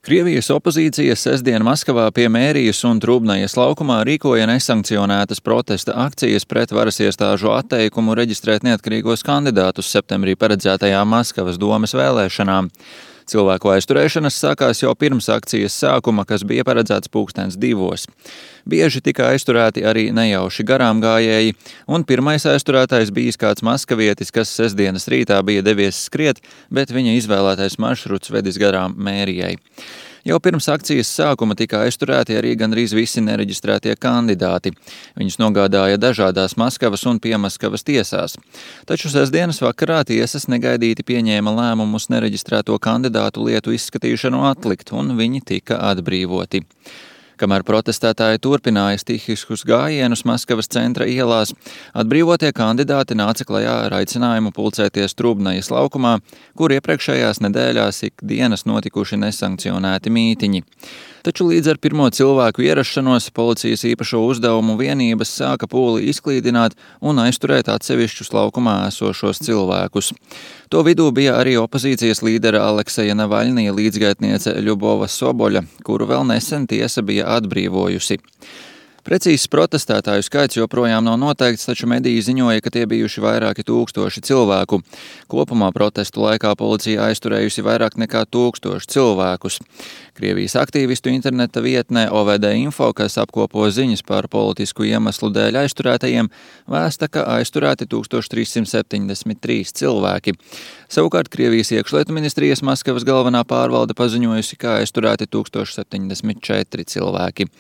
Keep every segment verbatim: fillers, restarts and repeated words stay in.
Krievijas opozīcija sestdien Maskavā pie Mērijas un Trubnajas laukumā rīkoja nesankcionētas protesta akcijas pret varas iestāžu atteikumu reģistrēt neatkarīgos kandidātus septembrī paredzētajām Maskavas domes vēlēšanām. Cilvēku aizturēšanas sākās jau pirms akcijas sākuma, kas bija paredzēts pulkstens divos. Bieži tika aizturēti arī nejauši garām gājēji, un pirmais aizturētais bijis kāds maskavietis, kas sestdienas rītā bija devies skriet, bet viņa izvēlētais maršruts vedis garām Mērijai. Jau pirms akcijas sākuma tika aizturēti arī gandrīz visi nereģistrētie kandidāti. Viņus nogādāja dažādās Maskavas un Piemaskavas tiesās. Taču sestdienas vakarā tiesas negaidīti pieņēma lēmumus nereģistrēto kandidātu lietu izskatīšanu atlikt, un viņi tika atbrīvoti. Kamēr protestētāji turpināja stihiskus gājienus Maskavas centra ielās, atbrīvotie kandidāti nāca klajā ar aicinājumu pulcēties Trubnajas laukumā, kur iepriekšējās nedēļās ikdienas notikuši nesankcionēti mītiņi. Taču līdz ar pirmo cilvēku ierašanos policijas īpašo uzdevumu vienības sāka pūli izklīdināt un aizturēt atsevišķus laukumā esošos cilvēkus. To vidū bija arī opozīcijas līdera Alekseja Navaļnija līdzgaitniece Ļubova Soboļa, kuru vēl nesen tiesa bija atbrīvojusi. Precīzs protestētāju skaits joprojām nav noteikts, taču mediji ziņoja, ka tie bijuši vairāki tūkstoši cilvēku. Kopumā protestu laikā policija aizturējusi vairāk nekā tūkstoši cilvēkus. Krievijas aktīvistu interneta vietnē O V D info, kas apkopo ziņas par politisku iemeslu dēļ aizturētajiem, vēsta, ka aizturēti tūkstoš trīs simt septiņdesmit trīs cilvēki. Savukārt Krievijas iekšlietu ministrijas Maskavas galvenā pārvalde paziņojusi, ka aizturēti tūkstoš septiņdesmit četri cilvēki.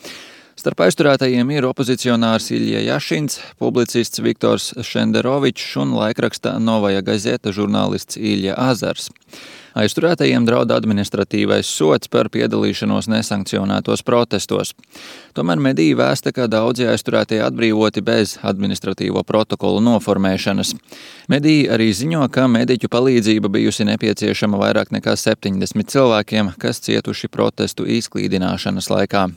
Starp aizturētajiem ir opozicionārs Iļja Jašins, publicists Viktors Šenderovičs un laikraksta Novaja Gazeta žurnālists Iļja Azars. Aizturētajiem draud administratīvais sods par piedalīšanos nesankcionētos protestos. Tomēr mediji vēsta, ka daudzi aizturētie atbrīvoti bez administratīvo protokolu noformēšanas. Mediji arī ziņo, ka mediķu palīdzība bijusi nepieciešama vairāk nekā septiņdesmit cilvēkiem, kas cietuši protestu izklīdināšanas laikā.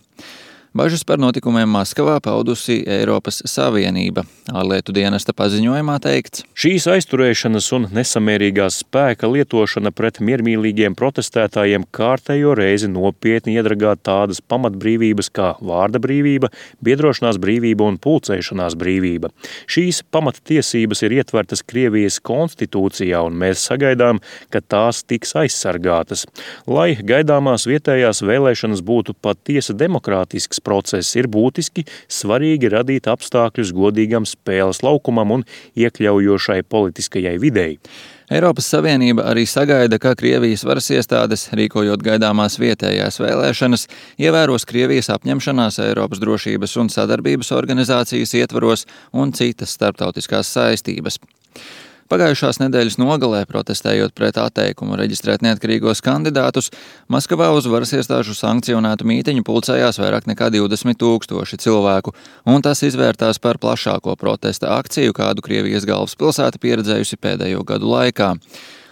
Bažas par notikumiem Maskavā paudusi Eiropas Savienība. Ārlietu dienesta paziņojumā teikts: Šīs aizturēšanas un nesamērīgās spēka lietošana pret miermīlīgiem protestētājiem kārtējo reizi nopietni iedragā tādas pamatbrīvības kā vārda brīvība, biedrošanās brīvība un pulcēšanās brīvība. Šīs pamattiesības ir ietvertas Krievijas konstitūcijā, un mēs sagaidām, ka tās tiks aizsargātas. Lai gaidāmās vietējās vēlēšanas būtu patiesi demokrātisks process, ir būtiski svarīgi radīt apstākļus godīgam spēles laukumam un iekļaujošai politiskajai videi. Eiropas Savienība arī sagaida, ka Krievijas varas iestādes, rīkojot gaidāmās vietējās vēlēšanas, ievēros Krievijas apņemšanās Eiropas drošības un sadarbības organizācijas ietvaros un citas starptautiskās saistības. Pagājušās nedēļas nogalē, protestējot pret atteikumu reģistrēt neatkarīgos kandidātus, Maskavā uz varas iestāžu sankcionētu mītiņu pulcējās vairāk nekā divdesmit tūkstoši cilvēku, un tas izvērtās par plašāko protesta akciju, kādu Krievijas galvaspilsēta pieredzējusi pēdējo gadu laikā.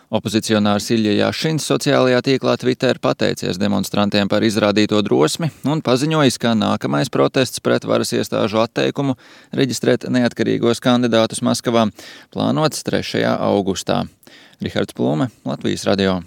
Opozicionārs Iļja Jašins sociālajā tīklā Twitter pateicies demonstrantiem par izrādīto drosmi un paziņojis, ka nākamais protests pret varas iestāžu atteikumu reģistrēt neatkarīgos kandidātus Maskavā plānots trešajā augustā. Rihards Plume, Latvijas radio.